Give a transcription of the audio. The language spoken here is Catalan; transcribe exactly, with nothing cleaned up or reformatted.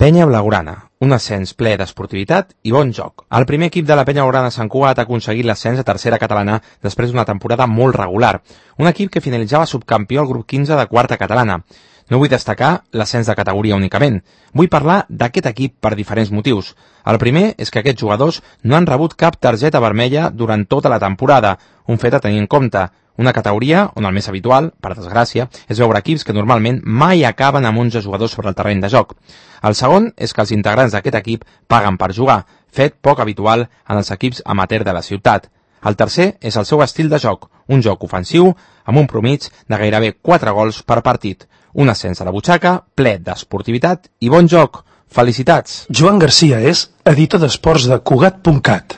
Penya Blaugrana, un ascens ple d'esportivitat i bon joc. El primer equip de la Penya Blaugrana Sant Cugat ha aconseguit l'ascens a tercera catalana després d'una temporada molt regular. Un equip que finalitzava subcampió al grup quinze de quarta catalana. No vull destacar l'ascens de categoria únicament. Vull parlar d'aquest equip per diferents motius. El primer és que aquests jugadors no han rebut cap targeta vermella durant tota la temporada, un fet a tenir en compte. Una categoria on el més habitual, per desgràcia, és veure equips que normalment mai acaben amb onze jugadors sobre el terreny de joc. El segon és que els integrants d'aquest equip paguen per jugar, fet poc habitual en els equips amateur de la ciutat. El tercer és el seu estil de joc, un joc ofensiu amb un promig de gairebé quatre gols per partit. Un ascens a la butxaca, ple d'esportivitat i bon joc. Felicitats! Joan Garcia és editor d'esports de Cugat punt cat.